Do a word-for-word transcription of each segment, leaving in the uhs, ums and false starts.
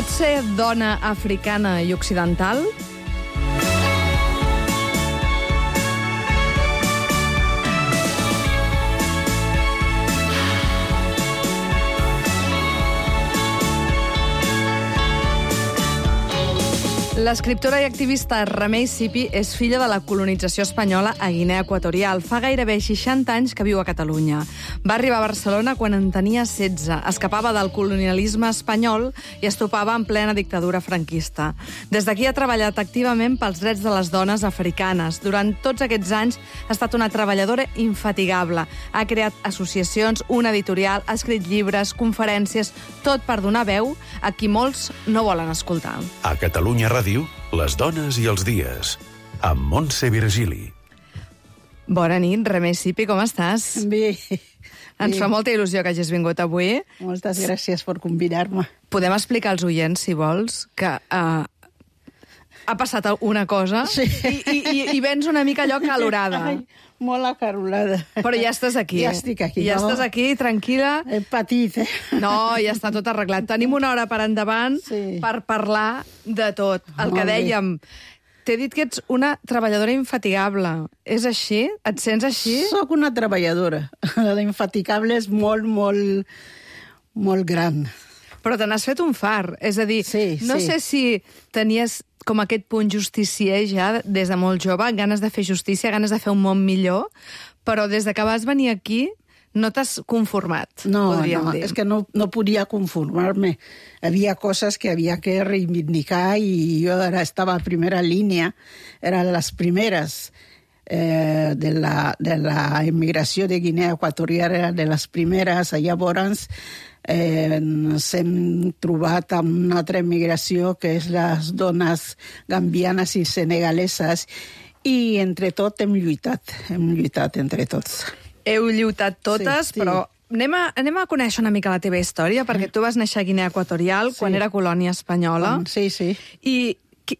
Pots ser dona africana i occidental? L'escriptora i activista Remei Sipi és filla de la colonització espanyola a Guinea Equatorial. Fa gairebé seixanta anys que viu a Catalunya. Va arribar a Barcelona quan en tenia setze. Escapava del colonialisme espanyol i es topava en plena dictadura franquista. Des d'aquí ha treballat activament pels drets de les dones africanes. Durant tots aquests anys ha estat una treballadora infatigable. Ha creat associacions, una editorial, ha escrit llibres, conferències, tot per donar veu a qui molts no volen escoltar. A Catalunya Ràdio, les dones i els dies, amb Montse Virgili. Bona nit, Remei Sipi, com estàs? Bé. Ens fa molta il·lusió que hagis vingut avui. Moltes gràcies per convidar-me. Podem explicar als oients, si vols, que uh, ha passat una cosa sí. i, i, i vens una mica allò calorada. Ai, molt acarolada. Però ja estàs aquí. Ja estic aquí. Ja no? estàs aquí, tranquil·la. He patit, eh? No, ja està tot arreglat. Tenim una hora per endavant sí. per parlar de tot. El molt que dèiem... Bé. T'he dit que ets una treballadora infatigable. És així? Et sents així? Soc una treballadora. L'infatigable és molt, molt, molt gran. Però te n'has fet un far. És a dir, sí, no sí. sé si tenies com aquest punt justicier ja des de molt jove, ganes de fer justícia, ganes de fer un món millor, però des de que vas venir aquí no t'has conformat, no, podríem no, dir. És que no, no podia conformar-me. Havia coses que havia que reivindicar i jo ara estava a primera línia, eren les primeres eh, de, la, de la emigració de Guinea Equatorial, era de les primeres. Llavors eh, ens hem trobat amb una altra emigració que és les dones gambianes i senegaleses i entre tot hem lluitat, hem lluitat entre tots. Heu lluitat totes, sí, sí. Però anem a, anem a conèixer una mica la teva història, perquè tu vas néixer a Guinea Equatorial sí. quan era colònia espanyola. Sí, sí. I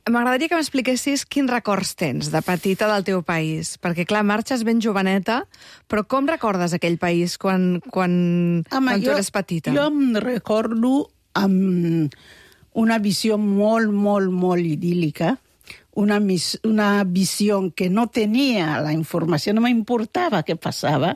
m'agradaria que m'expliquessis quins records tens de petita del teu país. Perquè, clar, marxes ben joveneta, però com recordes aquell país quan, quan, Home, quan tu jo, eres petita? Jo em recordo amb una visió molt, molt, molt idíl·lica, una, mis, una visió que no tenia la informació, no m'importava què passava.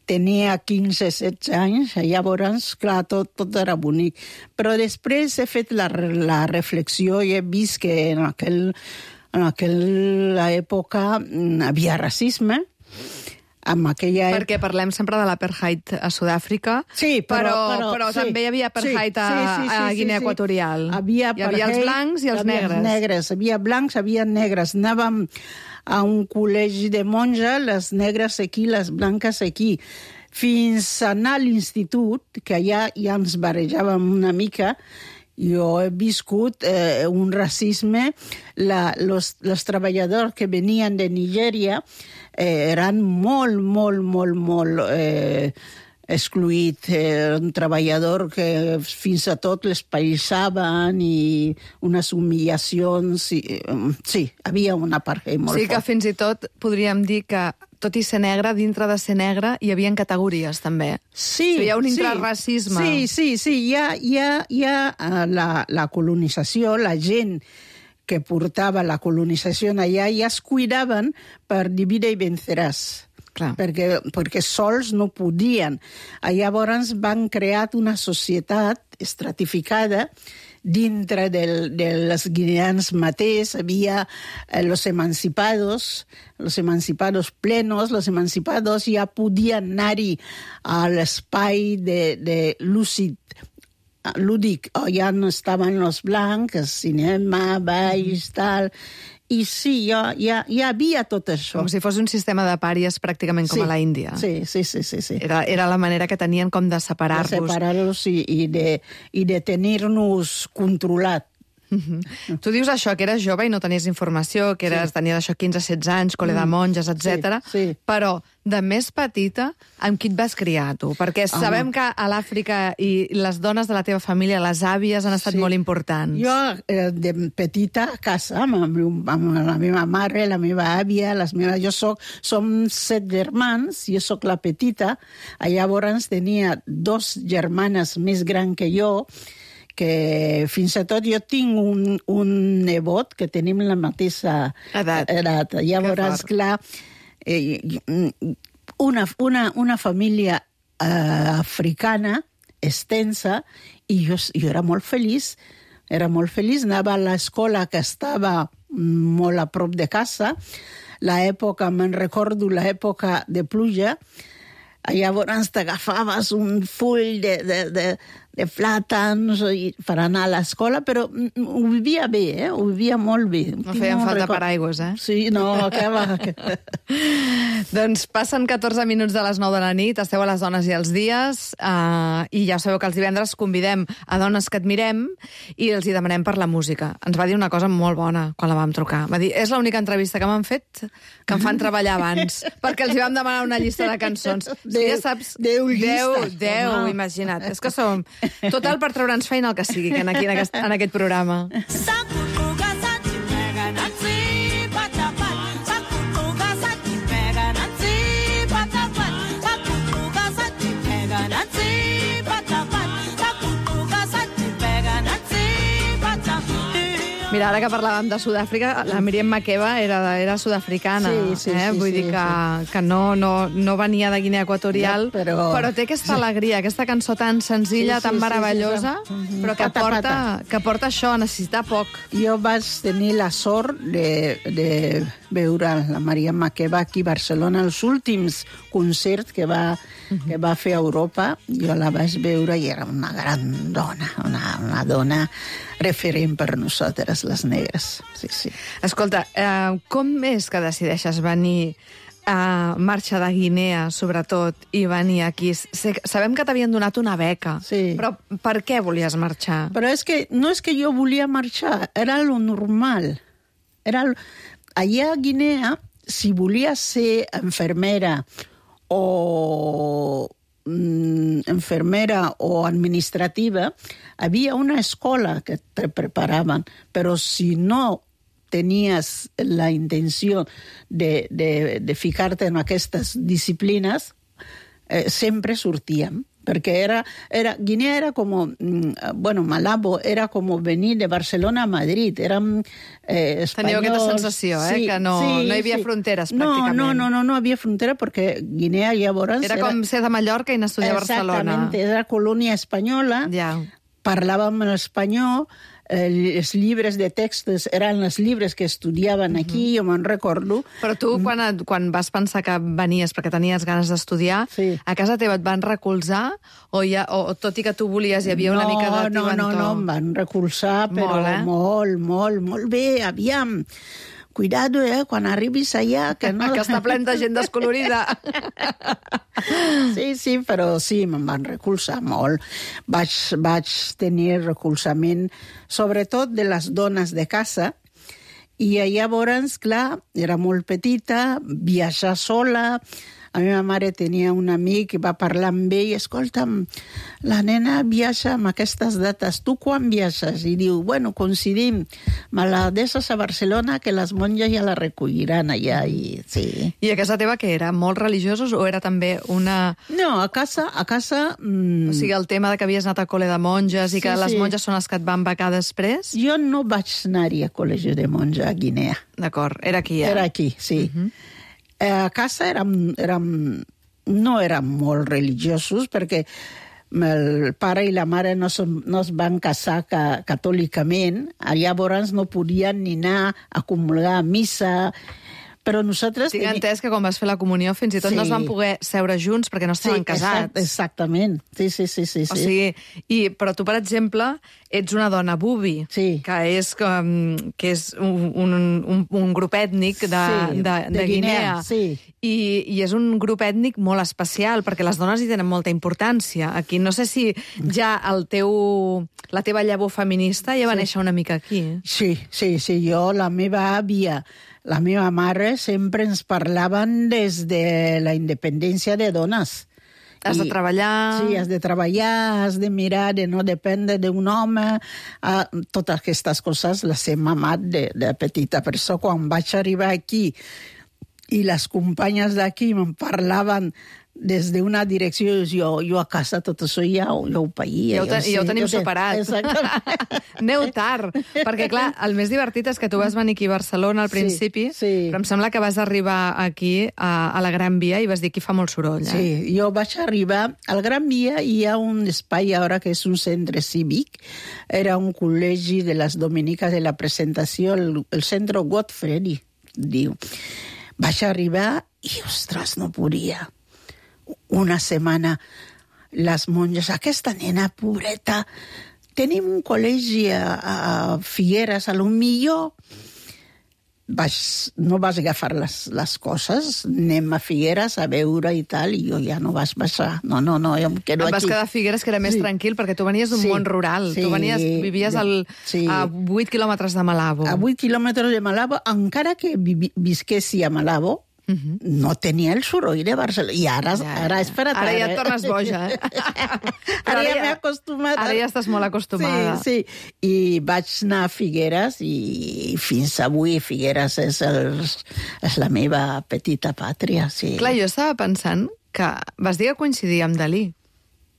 Tenia quinze, setze anys, llavors, clar, tot, tot era bonic. Però després he fet la, la reflexió i he vist que en, aquell, en aquella època havia racisme, amb aquella... Perquè parlem sempre de l'apartheid a Sud-àfrica, sí, però, però, però, però sí, també hi havia apartheid sí, sí, sí, a, a Guinea sí, sí. Equatorial. Havia hi havia els blancs i els negres. negres. Havia blancs, havia negres. Anàvem a un col·legi de monja, les negres aquí, les blanques aquí. Fins a anar a l'institut, que allà ja ens barrejàvem una mica. Jo he viscut eh, un racisme. La, los, los treballadors que venien de Nigèria eh, eren molt, molt, molt, molt eh, excluïts. Eh, un treballador que fins a tot les païsaven i unes humillacions. I, eh, sí, havia una apartheid molt sí, fort. que fins i tot podríem dir que tot i ser negre, dintre de ser negre, hi havia categories, també. Sí, hi ha un sí, intrarracisme. Sí, sí, sí. Hi ha, hi ha, hi ha la, la colonització, la gent que portava la colonització allà ja es cuidaven per divide i venceràs. Clar. Perquè, perquè sols no podien. Llavors van crear una societat estratificada dintre del, dels guineans mateix. Havia eh, los emancipados, los emancipados plenos, los emancipados ja podien anar-hi a l'espai de, de lúcid, lúdic. Ja no estaven els blancs, cinema, balls, tal... I sí, ja, ja, ja havia tot això. Com si fos un sistema de pàries pràcticament com sí, a la Índia. Sí, sí, sí. sí, sí. Era, era la manera que tenien com de separar-los. De separar-los i, i, de, i de tenir-nos controlat. Uh-huh. Tu dius això, que eres jove i no tenies informació, que eres, sí. tenies això quinze setze anys, col·le de monges, etcètera. Sí, sí. Però de més petita, amb qui et vas criar, tu? Perquè Home. sabem que a l'Àfrica i les dones de la teva família, les àvies, han estat sí. molt importants. Jo, eh, de petita, a casa, amb, amb, amb la meva mare, la meva àvia, les meves... Jo soc... Som set germans, jo sóc la petita. Llavors tenia dos germanes més grans que jo, que fins i tot jo tinc un, un nebot que tenim la mateixa edat. edat. Llavors, clar, eh, una, una, una família eh, africana extensa, i jo, jo era molt feliç, era molt feliç, anava a l'escola que estava molt a prop de casa, l'època, me'n recordo l'època de pluja, llavors t'agafaves un full de, de, de, de plàtans per anar a l'escola, però ho vivia bé, eh? Ho vivia molt bé. No feien falta record... paraigües, eh? Sí, no, que va... Doncs passen catorze minuts de les nou de la nit, esteu a les Dones i els dies, eh, i ja sabeu que els divendres convidem a dones que admirem i els hi demanem per la música. Ens va dir una cosa molt bona quan la vam trucar. Va dir, és l'única entrevista que m'han fet que em fan treballar abans, perquè els hi vam demanar una llista de cançons. Deu, ja saps, deu Deu, llistes. deu, imagina't. És que som... Total, per treure'ns feina el que sigui que aquí en aquest, en aquest programa. Mira, ara que parlàvem de Sud-àfrica, la Miriam Makeba era, era sud-africana. Sí, sí, eh? sí. Vull sí, dir que, sí. que no, no, no venia de Guinea Equatorial, ja, però... però té aquesta alegria, aquesta cançó tan senzilla, sí, sí, tan meravellosa, sí, sí, sí. però que Pata, porta, pata. que porta això, a necessitar poc. Jo vaig tenir la sort de, de veure la Maria Makeba aquí a Barcelona, els últims concerts que va, que va fer a Europa. Jo la vaig veure i era una gran dona, una, una dona referent per nosaltres, les negres. Sí, sí. Escolta, eh, com és que decideixes venir a marxa de Guinea, sobretot, i venir aquí? Sé, sabem que t'havien donat una beca, sí. Però per què volies marxar? Però és que no és que jo volia marxar, era lo normal. Era lo... Allà a Guinea, si volies ser enfermera o mm, enfermera o administrativa, havia una escola que te preparaven, però si no tenies la intenció de, de, de ficar-te en aquestes disciplines, eh, sempre sortíem. Perquè era, era, Guinea era com, bueno, Malabo era com venir de Barcelona a Madrid, érem eh, espanyols... Teníeu aquesta sensació, eh, sí, que no, sí, no hi havia sí. fronteres, no, pràcticament. No, no, no, no havia frontera perquè Guinea llavors... Era, era com ser de Mallorca i anar a estudiar a Barcelona. Exactament, era colònia espanyola, ja. Parlàvem en espanyol, els llibres de textos eren els llibres que estudiaven aquí, uh-huh. jo me'n recordo. Però tu, quan, quan vas pensar que venies perquè tenies ganes d'estudiar, sí. a casa teva et van recolzar? O, ja, o tot i que tu volies, hi havia una no, mica de no, tibantó? No, no, em van recolzar, però molt, eh? molt, molt, molt bé, aviam. Cuidado, eh, quan arribis allà... Que, no... que està plena de gent descolorida. Sí, sí, però sí, me'n van recolzar molt. Vaig, vaig tenir recolzament, sobretot de les dones de casa, i llavors, clar, era molt petita, viatjar sola. La meva mare tenia un amic que va parlar amb ell, escolta'm, la nena viatja amb aquestes dates, tu quan viatges? I diu, bueno, coincidim, me la deixes a Barcelona que les monges ja la recolliran allà. I, sí. I a casa teva què era? Molt religiosos o era també una... No, a casa... A casa mm... O sigui, el tema de que havies anat a col·le de monges i sí, que les sí. monges són les que et van becar després? Jo no vaig anar-hi a col·legi de monja a Guinea. D'acord, era aquí, eh? Era aquí, sí. Uh-huh. A casa érem, érem, no érem molt religiosos perquè el pare i la mare no, som, no es van casar ca, catòlicament, llavors no podien ni anar a comulgar a missa, però nosaltres... Tinc entès que quan vas fer la comunió fins i tot sí. no es van poder seure junts perquè no estaven sí, casats. Exact, exactament, sí, sí, sí. sí, o sigui, i, però tu, per exemple, ets una dona bubi, sí. que és, com, que és un, un, un, un grup ètnic de, sí, de, de, de Guinea. Guinea sí. I, I és un grup ètnic molt especial, perquè les dones hi tenen molta importància. Aquí no sé si ja el teu, la teva llavor feminista ja va sí. néixer una mica aquí. Sí, sí, sí, jo, la meva àvia, la meva mare sempre ens parlaven des de la independència de dones. Has I, de treballar... Sí, has de treballar, has de mirar de no dependre d'un home. Uh, totes aquestes coses les he mamat de, de petita. Per això, quan vaig arribar aquí i les companyes d'aquí me'n parlaven des d'una direcció, jo, jo a casa tot això ja, ja ho païa. Ja ho, te, ja, ja ho tenim ja superat. Exactament. Aneu tard, perquè clar, el més divertit és que tu vas venir aquí a Barcelona al principi, sí, sí. però em sembla que vas arribar aquí a, a la Gran Via i vas dir que fa molt soroll. Eh? Sí, jo vaig arribar al Gran Via i hi ha un espai ara que és un centre cívic, era un col·legi de les dominiques de la presentació, el, el centre Godfrey, diu. Vaig arribar i, ostres, no podia. Una setmana les monges, aquesta nena pobreta, tenim un col·legi a, a Figueres, a lo millor vaig, no vas agafar les, les coses, anem a Figueres a veure i tal, i jo ja no vas baixar. No, no, no, jo em quedo aquí. Et vas aquí. quedar a Figueres, que era més sí. tranquil, perquè tu venies d'un sí. món rural. Sí. Tu venies, vivies al, sí. a vuit quilòmetres de Malabo. A vuit quilòmetres de Malabo, encara que vi, visquessi a Malabo, Uh-huh. no tenia el soroll de Barcelona. I ara, ja, ara és per a Ara ja et tornes boja, eh? Ara ja m'he acostumat. Ara ja estàs molt acostumada. Sí, sí. I vaig anar a Figueres i fins avui Figueres és, el, és la meva petita pàtria. Sí. Clar, jo estava pensant que vas dir que coincidia amb Dalí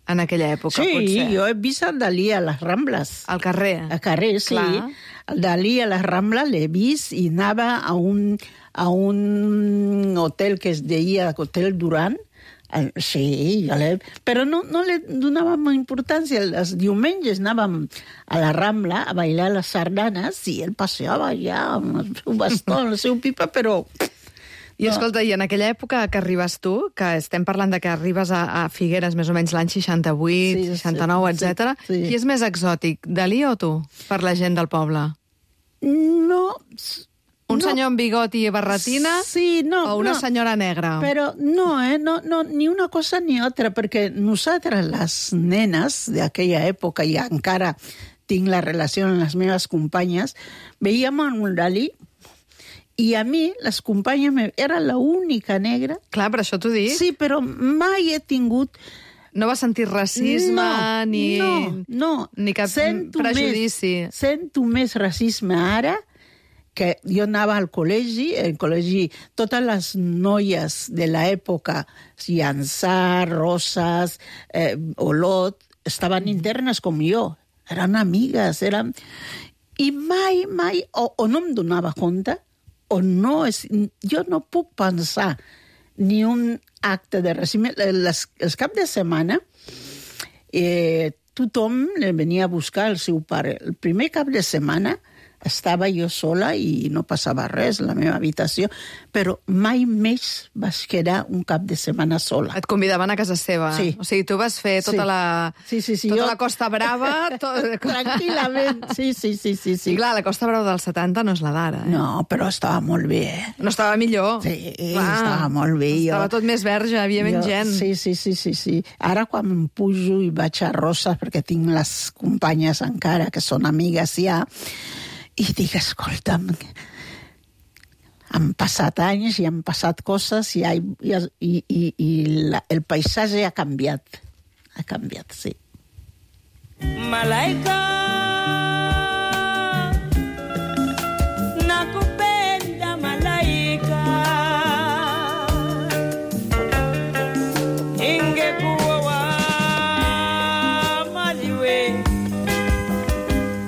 en aquella època, sí, potser. Sí, jo he vist el Dalí a les Rambles. Al carrer. Al carrer, sí. Clar. El Dalí a les Rambles l'he vist i anava a un, a un hotel que es deia Hotel Duran. Sí, ja l'he... Però no, no li donàvem importància. Els diumenges anàvem a la Rambla a bailar les sardanes i ell passeava allà amb el seu bastó, amb la seva pipa, però... I escolta, i en aquella època que arribes tu, que estem parlant de que arribes a, a Figueres més o menys l'any seixanta-vuit, sí, seixanta-nou, sí, etcètera, sí, sí. Qui és més exòtic, Dalí o tu, per la gent del poble? No... Un no. senyor amb bigoti i barretina sí, no, o una no. senyora negra? Però no, eh? no, no, ni una cosa ni altra, perquè nosaltres, les nenes d'aquella època, i encara tinc la relació amb les meves companyes, veiem un Dalí. I a mi, les companyes, era l'única negra. Clar, per això t'ho dic. Sí, però mai he tingut... No vas sentir racisme no, ni, no, no. ni cap sento prejudici. Més, sento més racisme ara que jo anava al col·legi, el col·legi, totes les noies de l'època, Llançà, Roses, eh, Olot, estaven internes com jo. Eren amigues, eren... I mai, mai, o, o no em donava compte, o no és... Jo no puc pensar ni un acte de racisme. Les, els caps de setmana, eh, tothom venia a buscar el seu pare. El primer cap de setmana estava jo sola i no passava res a la meva habitació, però mai més vas quedar un cap de setmana sola. Et convidaven a casa seva. Sí. O sigui, tu vas fer tota, sí. la, sí, sí, sí, tota jo... la Costa Brava... Tot... Tranquil·lament, sí, sí, sí, sí, sí. I clar, la Costa Brava dels setanta no és la d'ara, eh? No, però estava molt bé, eh? No estava millor. Sí, clar, estava molt bé. Estava jo... tot més verge, havia menys gent. Sí, sí, sí, sí, sí. Ara quan em pujo i vaig a Roses, perquè tinc les companyes encara, que són amigues ja, i dic, escolta'm, han passat anys i han passat coses i, i, i, i, i la, el paisatge ha canviat. Ha canviat, sí. Malaika nakupenda malaika ingekuwa maliwe.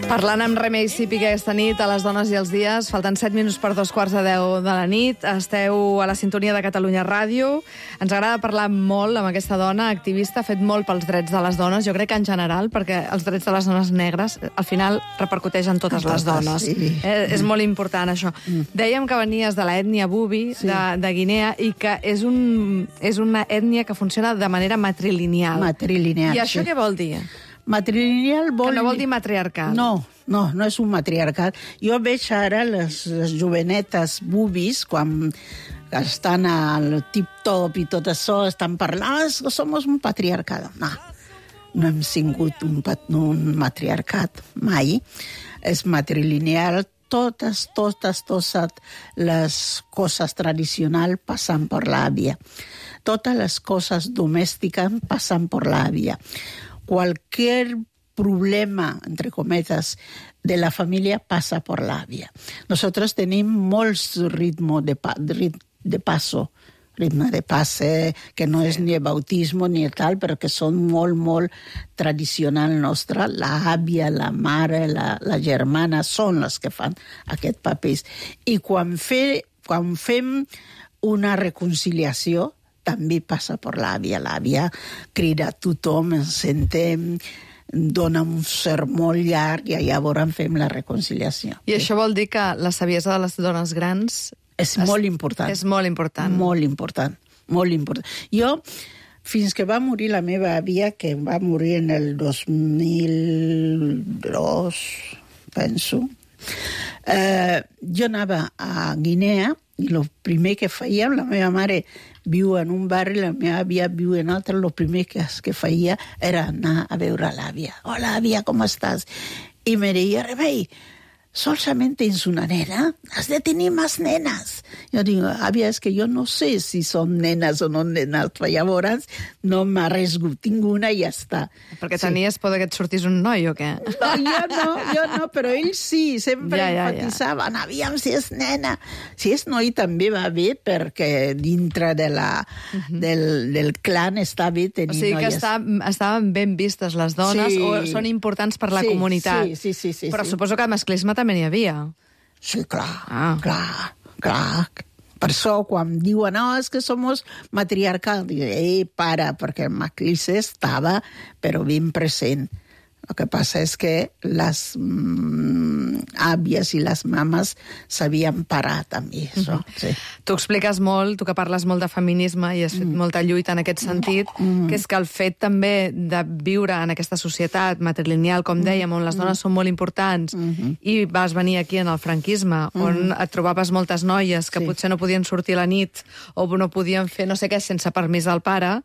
Parlant amb Remei Sipi aquesta nit a les dones i els dies, falten set minuts per dos quarts de deu de la nit, esteu a la sintonia de Catalunya Ràdio, ens agrada parlar molt amb aquesta dona activista, ha fet molt pels drets de les dones, jo crec que en general, perquè els drets de les dones negres al final repercuteix en totes, totes les dones. Sí. Eh, és molt important això. Mm. Dèiem que venies de l'ètnia Bubi, sí. de, de Guinea, i que és, un, és una ètnia que funciona de manera matrilineal. Matrilineal, I això sí. què vol dir? Matrilineal vol... Que no vol dir matriarcat. No, no, no és un matriarcat. Jo veig ara les, les jovenetes bubis, quan estan al tip-top i tot això, estan parlant, ah, som un patriarcat. No, no hem tingut un, un matriarcat mai. És matrilineal. Totes, totes, totes les coses tradicionals passen per l'àvia. Totes les coses domèstiques passen per l'àvia. Cualquier problema, entre cometas, de la familia pasa por la àvia. Nosotros tenim molts ritmos de, rit, de paso, ritme de passe, que no és ni bautisme ni tal, però que són molt, molt tradicional nostre. L'àvia, la mare, la, la germana són les que fan aquest papers. I quan, fe, quan fem una reconciliació, també passa per l'àvia. L'àvia crida a tothom, ens sentem, dona un sermó llarg i llavors fem la reconciliació. I això vol dir que la saviesa de les dones grans... És molt important. És molt important. Molt important, molt important. Jo, fins que va morir la meva àvia, que va morir en el dos mil dos, penso, eh, jo anava a Guinea i el primer que fèiem, la meva mare viu en un barri, la meva àvia viu en altre, el primer que, que feia era anar a veure l'àvia. Hola, àvia, com estàs? I me deia, Remei, solamente tens una nena, has de tenir més nenes. Jo dic, àvia, és que jo no sé si són nenes o no nenes, però llavors no m'ha arriesgut, tinc una i ja està. Perquè sí. tenies por que et sortís un noi o què? No, jo no, jo no, però ells sí, sempre ja, ja, enfatitzaven, ja. Aviam si és nena. Si és noi també va bé, perquè dintre de la, uh-huh. del, del clan està bé tenir noies. O sigui que noies. està, estaven ben vistes les dones, sí. o són importants per la sí, comunitat. Sí, sí, sí, sí, però sí. suposo que masclisme també n'hi havia. Sí, clar, ah. clar, clar. Per això, quan diuen, no, és que som matriarcal, dic, ei, para, perquè el masclisme estava, però ben present. El que passa és que les mm, àvies i les mames sabien parar també, això. Mm-hmm. Sí. Tu expliques molt, tu que parles molt de feminisme i has fet mm. molta lluita en aquest sentit, mm. que és que el fet també de viure en aquesta societat matrilineal, com dèiem, on les dones mm. són molt importants, mm-hmm. i vas venir aquí en el franquisme, mm. on et trobaves moltes noies que sí. potser no podien sortir a la nit o no podien fer no sé què sense permís del pare,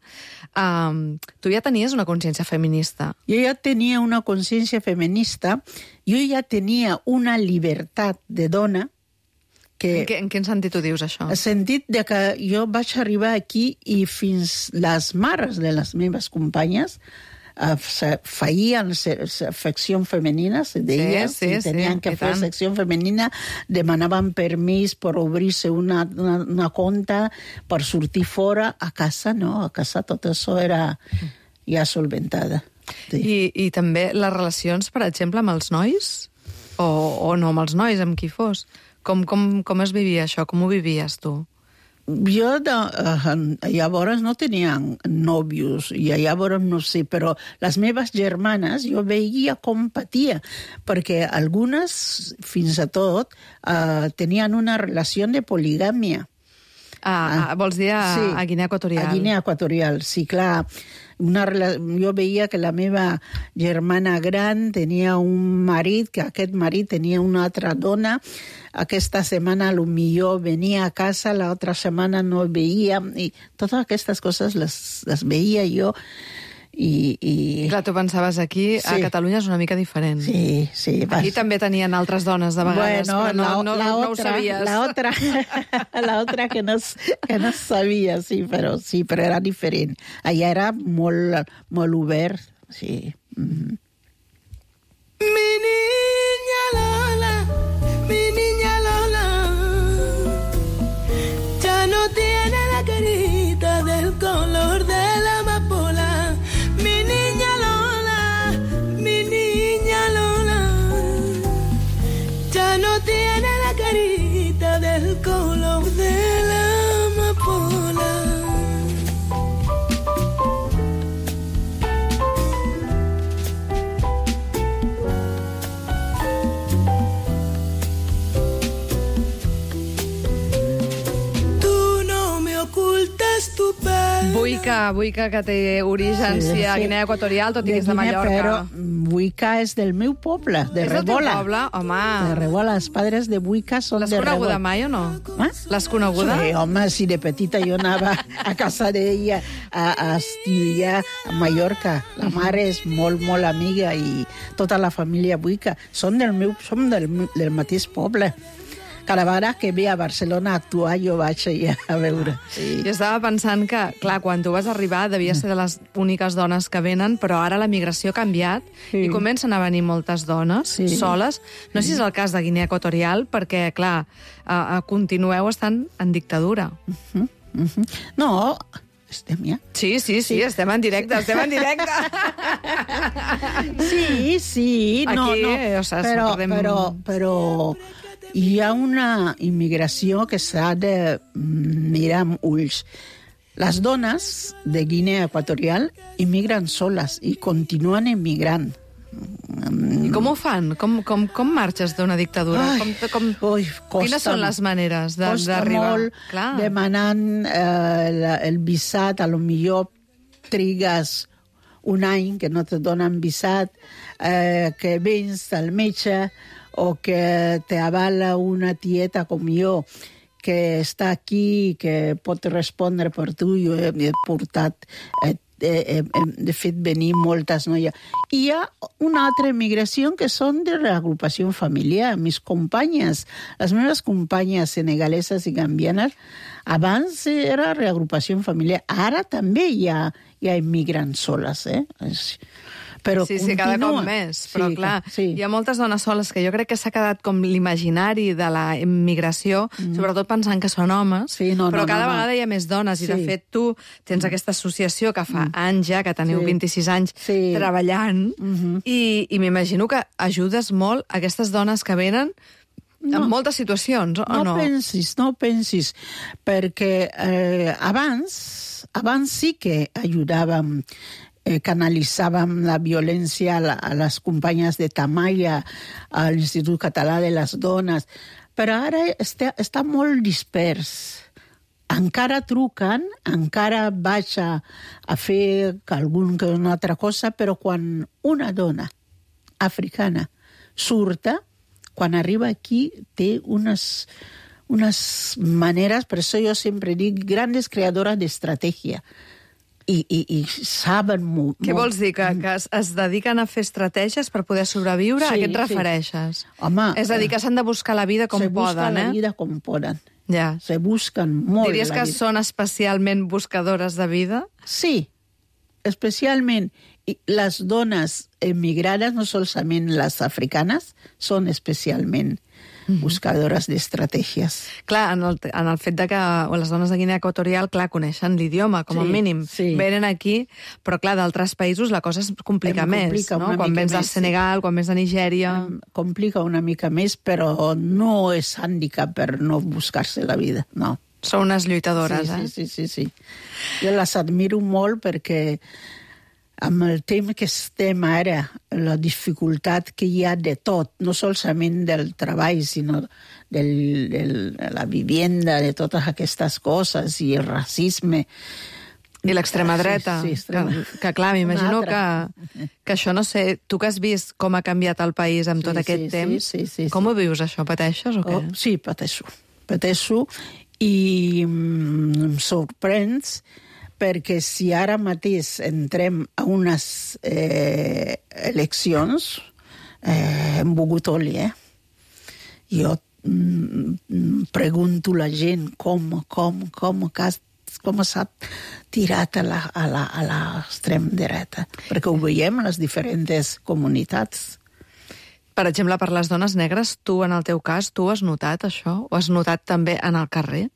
um, tu ja tenies una consciència feminista. Jo ja tenia una una consciència feminista, jo ja tenia una llibertat de dona que... En, que, en quin sentit ho dius, això? En el sentit de que jo vaig arribar aquí i fins les mares de les meves companyes eh, feien secció femenina, se deia, sí, sí, si tenien sí, que fer secció femenina, demanaven permís per obrir-se una, una, una compte per sortir fora. A casa no, a casa tot això era ja solventada. Sí. I, I també les relacions, per exemple, amb els nois? O, o no amb els nois, amb qui fos? Com, com, com es vivia això? Com ho vivies, tu? Jo de, uh, llavors no tenia nòvios, i llavors no sé, però les meves germanes jo veia com patia, perquè algunes, fins a tot, uh, tenien una relació de poligàmia. Ah, ah, vols dir a, sí, a Guinea Equatorial? A Guinea Equatorial, sí, clar. Una, jo veia que la meva germana gran tenia un marit, que aquest marit tenia una altra dona. Aquesta setmana potser venia a casa, l'altra setmana no veia, i totes aquestes coses les, les veia jo. I, i... Clar, tu pensaves aquí, sí. A Catalunya és una mica diferent. Sí, sí. Aquí vas... també tenien altres dones de vegades, bueno, però no, la, no, la no otra, ho sabies. La otra, la otra que, no, que no sabia, sí, però, sí, però era diferent. Allà era molt, molt obert, sí. Mm-hmm. Mi niña Lola, mi niña Lola, ya no tiene la carita del color de la amapola. No tiene la carita del color de la amapola. Tú no me ocultas tu pelo. Buica, Buica, que té orígens sí, sí, a Guinea Equatorial, tot i que és de Mallorca. Però Buica és del meu poble, de és Rebola. És del teu poble? Home. De Rebola, els padres de Buica són de Rebola. L'has coneguda mai o no? Eh? L'has coneguda? Sí, home, si de petita jo anava a casa d'ella a, a estudiar a Mallorca. La mare és molt, molt amiga i tota la família Buica. Som del meu, som del, del mateix poble. cada vegada que ve a Barcelona a actuar jo vaig allà a veure. Sí. Jo estava pensant que, clar, quan tu vas arribar devia ser de les úniques dones que venen, però ara la migració ha canviat Sí. i comencen a venir moltes dones Sí. soles. No sé si és el cas de Guinea Equatorial, perquè, clar, uh, uh, continueu estant en dictadura. Uh-huh, uh-huh. No, estem ja. Sí, sí, sí, estem en directe, estem en directe. Sí, sí, no, Aquí, no, o sea, però, perdem- però, però hi ha una immigració que s'ha de mirar amb ulls. Les dones de Guinea Equatorial immigren soles i continuen immigrant. I com ho fan? Com, com, com marxes d'una dictadura? Ai, com, com... ui, costa, Quines són les maneres de- costa d'arribar? molt Clar. demanant eh, el, el visat, a lo millor trigues un any que no te donen visat, eh, que vens al metge o que te avala una tieta com jo que està aquí, que pot respondre per tu. Jo he, he portat, eh, eh, eh, de fet, venir moltes noies. I hi ha una altra immigració que són de reagrupació familiar. Mis companyes, les meves companyes senegaleses i gambianes, abans era reagrupació familiar. Ara també hi ha, hi ha immigrants soles, eh? Però sí, sí, cada continua. cop més. Però, Sí, clar, sí. hi ha moltes dones soles que jo crec que s'ha quedat com l'imaginari de la immigració, mm. sobretot pensant que són homes, Sí, no, però no, cada no, no. vegada hi ha més dones, i de Sí. fet tu tens aquesta associació que fa anys ja, que teniu Sí. vint-i-sis anys Sí. treballant, Mhm. i, i m'imagino que ajudes molt aquestes dones que venen en moltes situacions, o no? No pensis, no pensis, perquè eh, abans, abans sí que ajudàvem, eh, canalitzàvem la violència a, la, a les companyes de Tamaia, a l'Institut Català de les Dones, però ara està, està molt dispers. Encara truquen, encara vaig a, a fer algun, una altra cosa, però quan una dona africana surta, quan arriba aquí té unes, unes maneres, per això jo sempre dic, grandes creadores d'estratègia. I, i, i saben molt. Què vols dir? Que, que es, es dediquen a fer estratègies per poder sobreviure? Sí, a què et sí. refereixes? Home, És a dir, que s'han de buscar la vida com se busca poden, la eh? vida com poden. Ja. Se busquen molt Diries la que vida. són especialment buscadores de vida? Sí, especialment i les dones emigrades, no solament les africanes, són especialment buscadores d'estratègies. Clar, en el, en el fet de que les dones de Guinea Equatorial, clar, coneixen l'idioma, com a Sí, mínim. sí. Venen aquí, però clar, d'altres països la cosa es complica Em més, complica no? una Quan mica vens del més, sí. Senegal, quan vens de Nigèria... Em complica una mica més, però no és hàndicap per no buscar-se la vida, no. Són unes lluitadores, sí, eh? sí, sí, sí, sí. Jo les admiro molt perquè amb el temps que estem ara, la dificultat que hi ha de tot, no solament del treball, sinó del, del, de la vivienda, de totes aquestes coses, i el racisme. I l'extrema Sí, dreta. sí, extrema. Que, que clar, m'imagino Una que, altra. que això, no sé, tu que has vist com ha canviat el país amb tot Sí, aquest sí, temps, sí, sí, sí, com sí. ho vius, això? Pateixes o què? Oh, sí, pateixo. Pateixo i mm, em sorprens perquè si ara mateix entrem a unes eh, eleccions, eh, hem begut oli, eh? Jo mm, pregunto a la gent com, com, com, com s'ha tirat a la, a la, a l'extrem dreta, perquè ho veiem en les diferents comunitats. Per exemple, per les dones negres, tu, en el teu cas, tu has notat això? Ho has notat també en el carrer?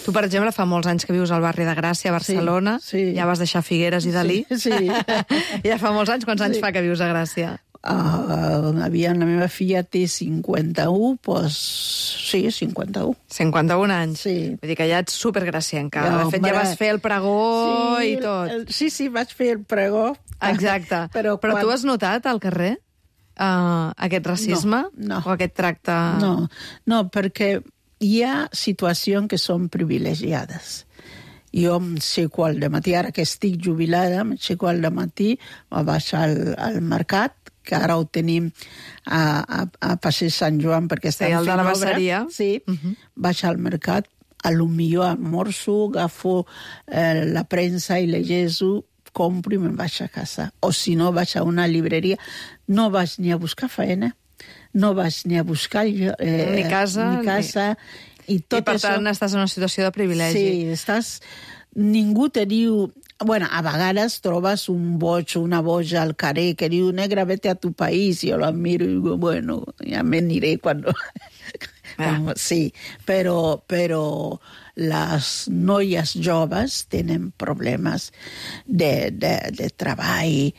Tu, per exemple, fa molts anys que vius al barri de Gràcia, a Barcelona. Sí, sí. Ja vas deixar Figueres i Dalí. Sí, sí. Ja fa molts anys. Quants anys Sí. fa que vius a Gràcia? Uh, aviam, la meva filla té cinquanta-u, doncs sí, cinquanta-u. cinquanta-un anys. Sí. Vull dir que ja ets supergracienca. Ja, De fet, ja home. vas fer el pregó sí, i tot. El, sí, sí, vaig fer el pregó. Exacte. Però, Però quan... tu has notat al carrer uh, aquest racisme? No, no. O aquest tracte... No, no, perquè hi ha situacions que són privilegiades. Jo em aixeco al matí, ara que estic jubilada, m'aixeco al matí, vaig al, al mercat, que ara ho tenim a, a, a Passeig Sant Joan perquè estan Sí, el de fent la obra. Basseria. Sí, Mhm. vaig al mercat, a lo millor almorzo, agafo eh, la premsa i llegeixo, compro i me'n vaig a casa. O si no, vaig a una llibreria. No vaig ni a buscar feina, no vas ni a buscar eh, ni casa, ni casa ni... i tot I per això... tant estàs en una situació de privilegi. Sí, estàs... Ningú te diu... Bueno, a vegades trobes un boig o una boja al carrer que diu, negra, vete a tu país, i jo la miro i digo, bueno, ja me aniré quan... Ah. Sí, però, però les noies joves tenen problemes de, de, de treball.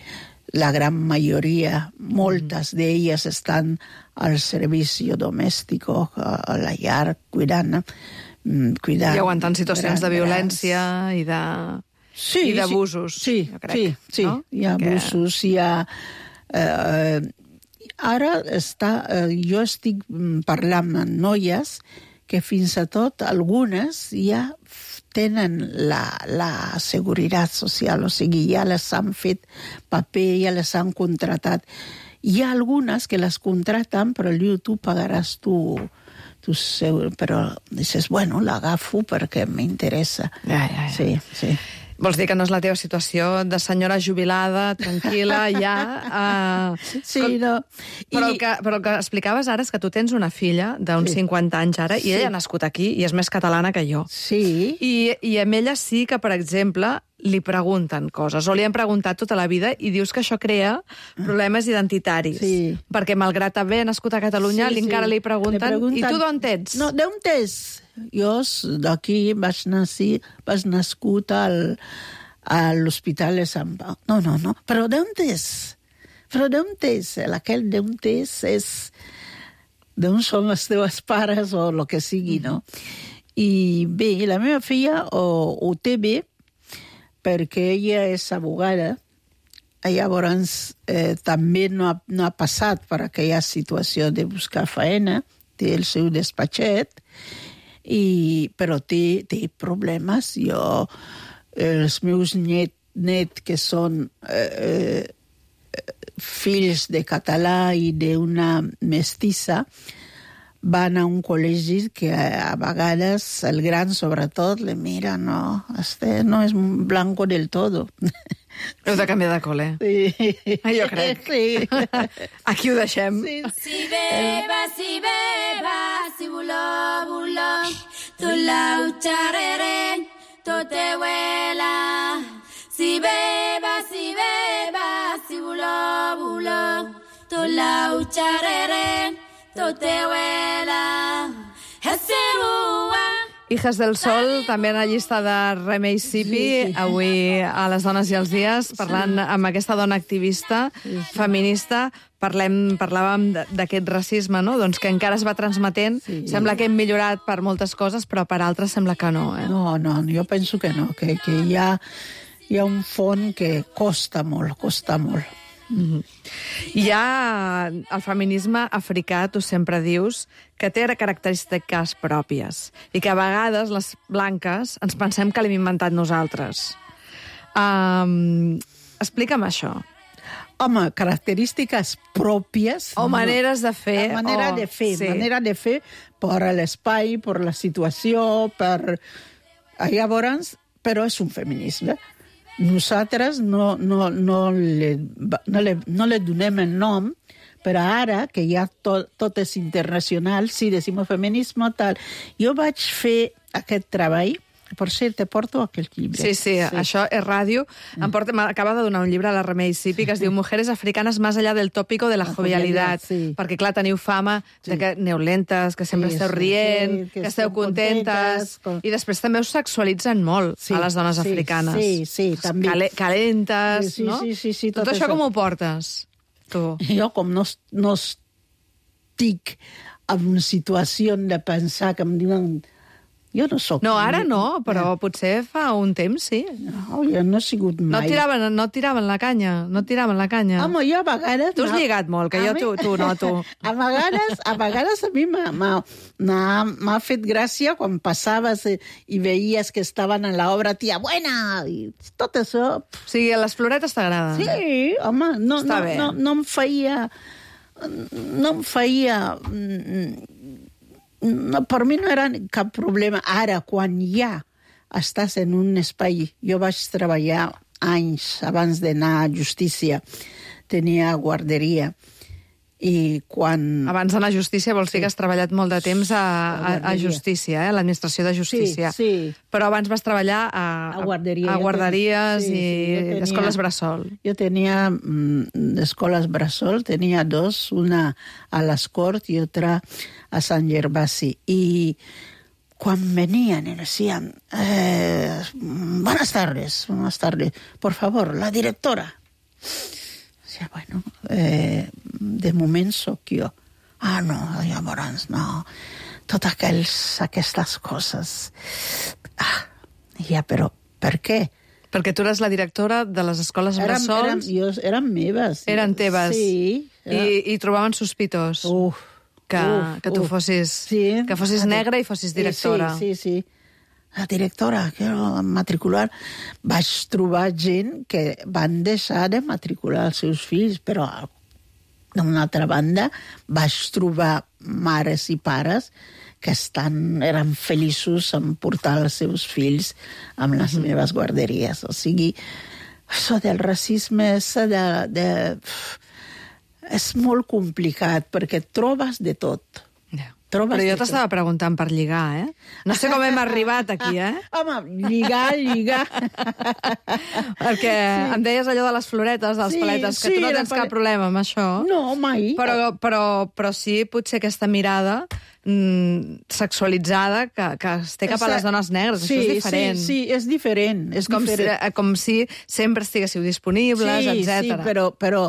La gran majoria, moltes mm. d'elles estan al servici domèstic, a la llar, cuidant, cuidant... I aguantant situacions de violència i de... Sí, i d'abusos, sí, jo crec. Sí, sí, no? Hi ha que... abusos, hi ha... Eh, ara està, eh, jo estic parlant amb noies que fins i tot algunes ja tenen la, la seguretat social, o sigui, ja les han fet paper, ja les han contratat. Hi ha algunes que les contraten, però diu, tu pagaràs tu... tu seu... Però dices, bueno, l'agafo perquè m'interessa. Ja, ja, ja. Sí, sí. Vols dir que no és la teva situació de senyora jubilada, tranquil·la, ja... Uh, sí, com... no. Però, I... el que, però el que explicaves ara és que tu tens una filla d'uns sí. cinquanta anys ara, i sí. ella ha nascut aquí i és més catalana que jo. Sí. I, I amb ella sí que, per exemple, li pregunten coses, o li han preguntat tota la vida, i dius que això crea problemes identitaris. Sí. Perquè, malgrat haver nascut a Catalunya, sí, encara sí. li pregunten, li pregunten, i tu d'on ets? No, d'on ets? Jo d'aquí vaig nascer, vaig nascut al, a l'Hospital de Sant Pau. No, no, no, però d'on ets? Però d'on ets? Aquell d'on ets és d'on són els teus pares o el que sigui, no? I bé, la meva filla ho, ho té bé perquè ella és abogada. Llavors eh, també no ha, no ha passat per aquella situació de buscar feina, té el seu despatxet, i, però té, té problemes. Jo, els meus net, net que són eh, fills de català i d'una mestissa, van a un col·legi que a vegades el gran, sobretot, le mira, no, este no és blanco del todo. Heu de canviar de col·le. Sí. Jo crec. Sí. Aquí ho deixem. Sí. Si beba, si beba, si voló, voló, tu lau xarreren, tot te huela. Si beba, si beba, si voló, voló, tu lau xarreren, tot te huela. Ese bua. Hijas del Sol, també en la llista de Remei Sipi, sí, sí. Avui a les Dones i els Dies, parlant sí. amb aquesta dona activista, sí, sí. feminista, parlem, parlàvem d'aquest racisme, no? Doncs que encara es va transmetent. Sí. Sembla que hem millorat per moltes coses, però per altres sembla que no. Eh? No, no, jo penso que no, que, que hi, ha, hi ha un fons que costa molt, costa molt. Mm-hmm. Hi ha el feminisme africà, tu sempre dius, que té característiques pròpies i que a vegades les blanques ens pensem que l'hem inventat nosaltres. Um, explica'm això. Home, característiques pròpies... O maneres de fer. La manera o... de fer, sí. manera de fer per l'espai, per la situació, per... Llavors, però és un feminisme. Nosaltres no, no, no, le, no, le, no le donem el nom, però ara, que ja tot, tot és internacional, sí, decim feminisme, tal. Jo vaig fer aquest treball, per cert, te porto aquell llibre. Sí, sí, sí. Això és ràdio. Em porta, m'acaba de donar un llibre a la Remei Sipi que es diu Mujeres africanes más allá del tópico de la, la jovialidad. Sí. Perquè, clar, teniu fama sí. de que aneu lentes, que sempre sí, esteu rient, sí, que, que esteu contentes, contentes, i després també us sexualitzen molt sí, a les dones sí, africanes. Sí, sí, també. Cale, calentes, sí, sí, no? Sí, sí, sí, tot, tot això, això com ho portes, tu? Jo, com no, no estic en una situació de pensar que em diuen... Jo no soc... No, ara no, però ja. potser fa un temps, sí. No, jo no he sigut mai... No tiraven, no tiraven la canya, no tiraven la canya. Home, jo a vegades... Tu has no... lligat molt, que jo tu, tu no, tu. A vegades, a vegades a mi m'ha fet gràcia quan passaves i veies que estaven en l'obra tia buena, i tot això... O sigui, les floretes t'agraden. Sí, home, no, no, no, no em feia... No em feia... No, per mi no era cap problema. Ara, quan ja estàs en un espai... Jo vaig treballar anys abans d'anar a justícia. Tenia guarderia. I quan... Abans d'anar a justícia vols dir Sí. que has treballat molt de temps a, a, a guarderia. justícia, eh? a l'administració de justícia. Sí, sí. Però abans vas treballar a, A guarderia. a guarderies Sí, sí, i jo tenia- escoles bressol. Jo tenia mm, escoles bressol, tenia dos, una a les Corts i altra a Sant Gervasi. I quan venien i decían, eh, buenas tardes, buenas tardes, por favor, la directora. Decía, bueno, eh, de moment sóc jo. Ah, no, llavors no. Totes aquells, aquestes coses. Ah, ja, però per què? Perquè tu eres la directora de les escoles Eren, eren, bressols, jo, eren meves. eren teves, Sí. i, i trobaven sospitós Uf, que, uf, que tu uf. fossis, Sí. que fossis Ah, negra i fossis directora. Sí, sí, sí. La directora, quiero matricular. Vaig trobar gent que van deixar de matricular els seus fills, però d'una altra banda vaig trobar mares i pares que estan, eren feliços en portar els seus fills amb les mm-hmm. meves guarderies. O sigui, això del racisme és, de, de, és molt complicat perquè et trobes de tot. Ja. Trobes Però jo de t'estava preguntant per lligar, eh? No sé com hem arribat aquí, eh? Home, lligar, lligar. Perquè sí. em deies allò de les floretes, dels Sí, paletes, que sí, tu no la tens pale- cap problema amb això. No, mai. Però, però, però sí, potser aquesta mirada mm, sexualitzada que, que es té cap a les dones negres. Sí, això és diferent. Sí, sí, és diferent. És com, si, diferent. com si sempre estiguéssiu disponibles, sí, etcètera. Sí, però, però,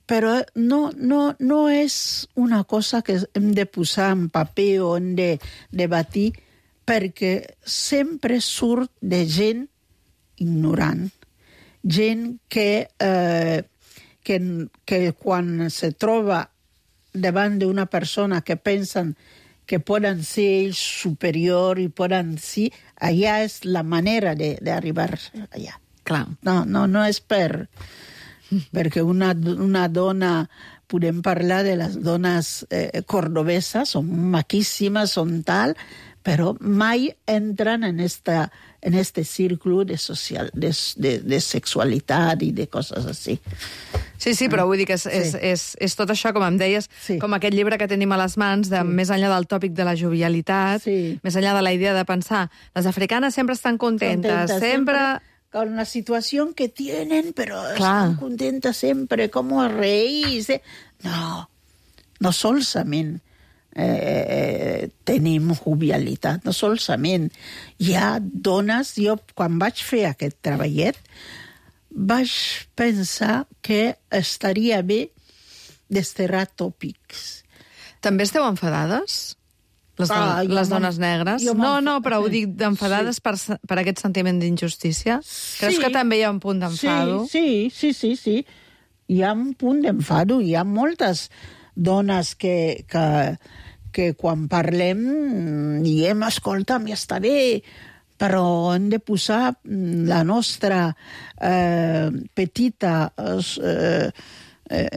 però no, no, no és una cosa que hem de posar en paper o hem de debatir, perquè sempre surt de gent ignorant, gent que, eh, que, que quan se troba davant d'una persona que pensen que poden ser ells superior i poden ser... Allà és la manera d'arribar allà. Clar. No, no, no és per... perquè una, una dona... Podem parlar de les dones eh, cordobeses, són maquíssimes, són tal, però mai entren en esta, en este círculo de, social, de, de, de sexualitat i de coses així. Sí, sí, però vull dir que és, és, Sí. és, és tot això, com em deies, Sí. com aquest llibre que tenim a les mans, de, Sí. més enllà del tòpic de la jovialitat, Sí. més enllà de la idea de pensar, les africanes sempre estan contentes, Contenta, sempre... con la situación que tienen, pero Clar. están contentas sempre, como reírse. No, no solament eh, tenim jovialitat, no solament. Hi ha dones, jo quan vaig fer aquest treballet, vaig pensar que estaria bé desterrar tòpics. També esteu enfadades? Les, don Ah, jo les m'en- dones negres? jo No, m'enfa- no, però ho dic d'enfadades Sí. per, per aquest sentiment d'injustícia? Creus Sí. que també hi ha un punt d'enfado? Sí, sí, sí, sí, sí. Hi ha un punt d'enfado. Hi ha moltes dones que, que, que quan parlem diem, escolta'm, ja està bé, però hem de posar la nostra eh, petita... Eh, Eh,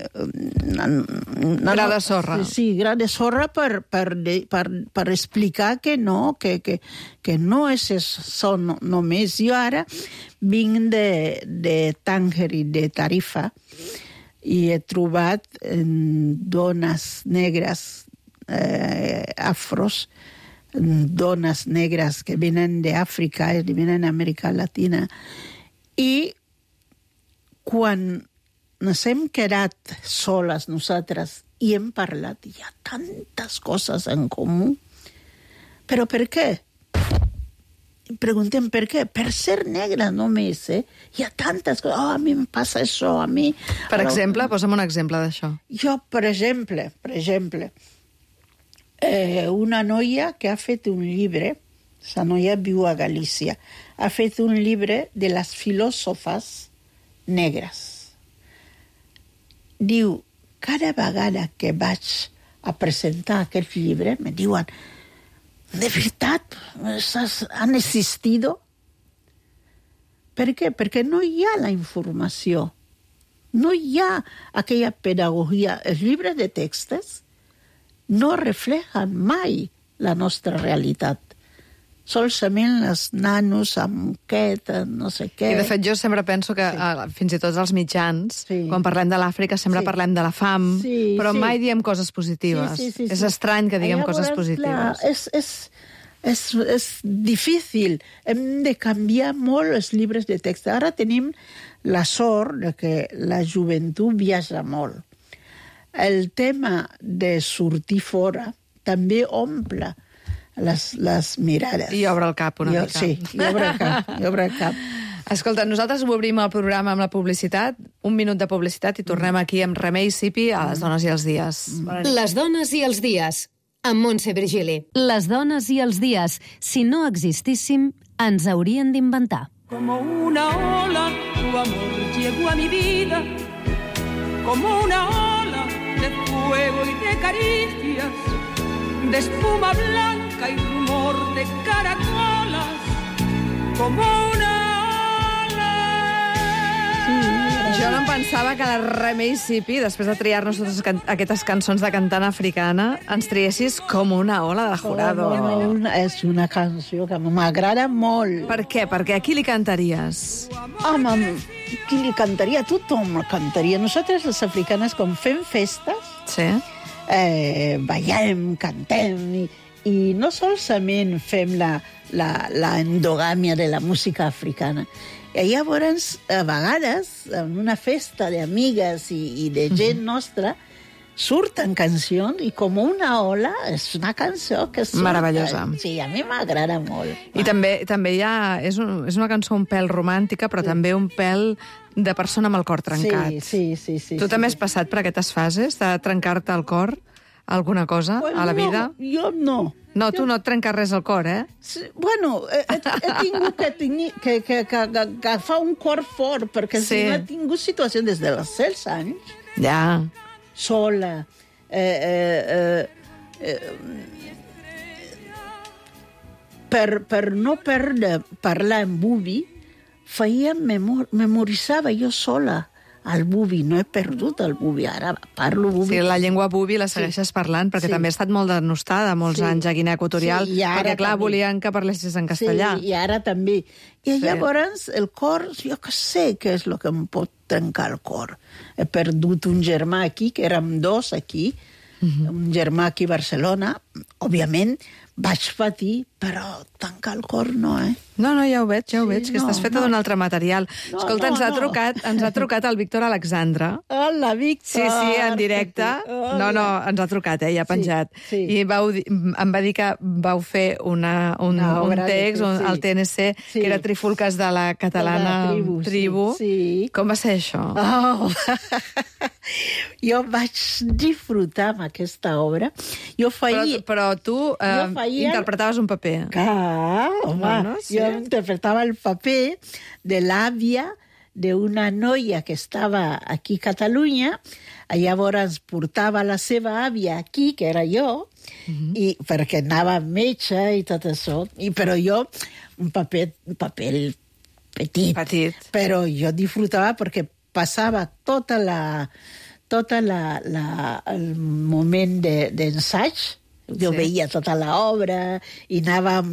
gra de sorra. Sí, gra de sorra per, per, per, per explicar que no, que, que, que no és això no, només. Jo ara vinc de, de Tànger i de Tarifa i he trobat eh, dones negres eh, afros, dones negres que venen d'Àfrica i venen d'Amèrica Latina, i quan ens hem quedat soles nosaltres i hem parlat, hi ha tantes coses en comú. Però per què? Preguntem per què. Per ser negra només, eh? Hi ha tantes coses. Oh, a mi em passa això, a mi... Per exemple, posa'm un exemple d'això. Jo, per exemple, per exemple, eh, una noia que ha fet un llibre, la noia viu a Galícia, ha fet un llibre de les filòsofes negres. Diu, cada vegada que vaig a presentar aquest llibre, me diuen, de veritat, han existido? Per què? Perquè no hi ha la informació. No hi ha aquella pedagogia. Els llibres de textos no reflejen mai la nostra realitat. solament les nanos amb aquest, no sé què. I de fet jo sempre penso que sí. eh, fins i tot els mitjans, sí. quan parlem de l'Àfrica sempre sí. parlem de la fam, sí, però sí. mai diem coses positives. Sí, sí, sí, és sí. estrany que diguem Llavors, coses positives. Clar, és, és, és, és difícil. Hem de canviar molt els llibres de text. Ara tenim la sort de que la joventut viatja molt. El tema de sortir fora també omple les, les mirades. I obre el cap una I, mica. Sí, i obre el cap, i obre el cap. Escolta, nosaltres obrim el programa amb la publicitat, un minut de publicitat i tornem aquí amb Remei Sipi a Les dones i els dies. Les dones i els dies, amb Montse Virgili. Les dones i els dies, si no existíssim, ens haurien d'inventar. Como una ola, tu amor llegó a mi vida, como una ola de fuego y de caricias, de espuma blanca y rumor de caracolas, como una ola. Jo no em pensava que la Remei Sipi, després de triar-nos totes can aquestes cançons de cantant africana, ens triessis com una ola de jurado. Oh, una, és una cançó que m'agrada molt. Per què? Perquè a qui li cantaries? Home, qui li cantaria? Tothom cantaria. Nosaltres, les africanes, com fem festes, sí. eh, ballem, cantem, i, i no solament fem la, la, la endogàmia de la música africana. I llavors, a vegades, en una festa d'amigues i, i de gent nostra, surten cancions i com una ola és una cançó que surta. Meravellosa. Sí, a mi m'agrada molt. I també, també hi ha... És, un, és una cançó un pèl romàntica, però sí. també un pèl de persona amb el cor trencat. Sí, sí, sí. sí tu sí, també sí. has passat per aquestes fases de trencar-te el cor? Alguna cosa bueno, a la vida? No, jo no. No, tu jo... no et trenques res al cor, eh? Sí, bueno, he, he tingut que, tingui, que, que, que, que agafar un cor fort, perquè sí. si no he tingut situació des dels setze anys, ja. sola, eh, eh, eh, eh, per, per no perdre parlar en bubi, feia memor memoritzava jo sola el bubi. No he perdut el bubi, ara parlo bubi. Sí, la llengua bubi la segueixes sí. parlant, perquè sí. també ha estat molt denostada molts sí. anys a Guinea Equatorial, sí, perquè, clar, també. volien que parlessis en castellà. Sí, i ara també. I sí. llavors el cor, jo que sé què és el que em pot trencar el cor. He perdut un germà aquí, que érem dos aquí, uh-huh. un germà aquí a Barcelona. Òbviament, vaig patir, però tancar el cor no, eh? No, no, ja ho veig, ja ho sí, veig, que no, estàs feta no. d'un altre material. No, Escolta, no, ens, ha no. trucat, ens ha trucat el Víctor Alexandre. Hola, Víctor! Sí, sí, en directe. Hola. No, no, ens ha trucat, eh, ja ha penjat. Sí, sí. I vau, em va dir que vau fer una, un, no, un text, un, sí. al T N C, sí. que era Trifulques de la catalana de la tribu. tribu. Sí, sí. Com va ser això? Oh. Jo vaig disfrutar amb aquesta obra. Jo feia... Però, però tu eh, feia... interpretaves un paper. Clar, home, no, no? Sí. Jo interpretava el paper de l'àvia d'una noia que estava aquí a Catalunya, llavors portava la seva àvia aquí, que era jo, uh-huh. i perquè anava amb metge i tot això, i, però jo, un paper, un paper petit, petit, però jo disfrutava perquè passava tota la, tota la, la, el moment d'ensaig, de, jo sí. veia tota l'obra i anàvem...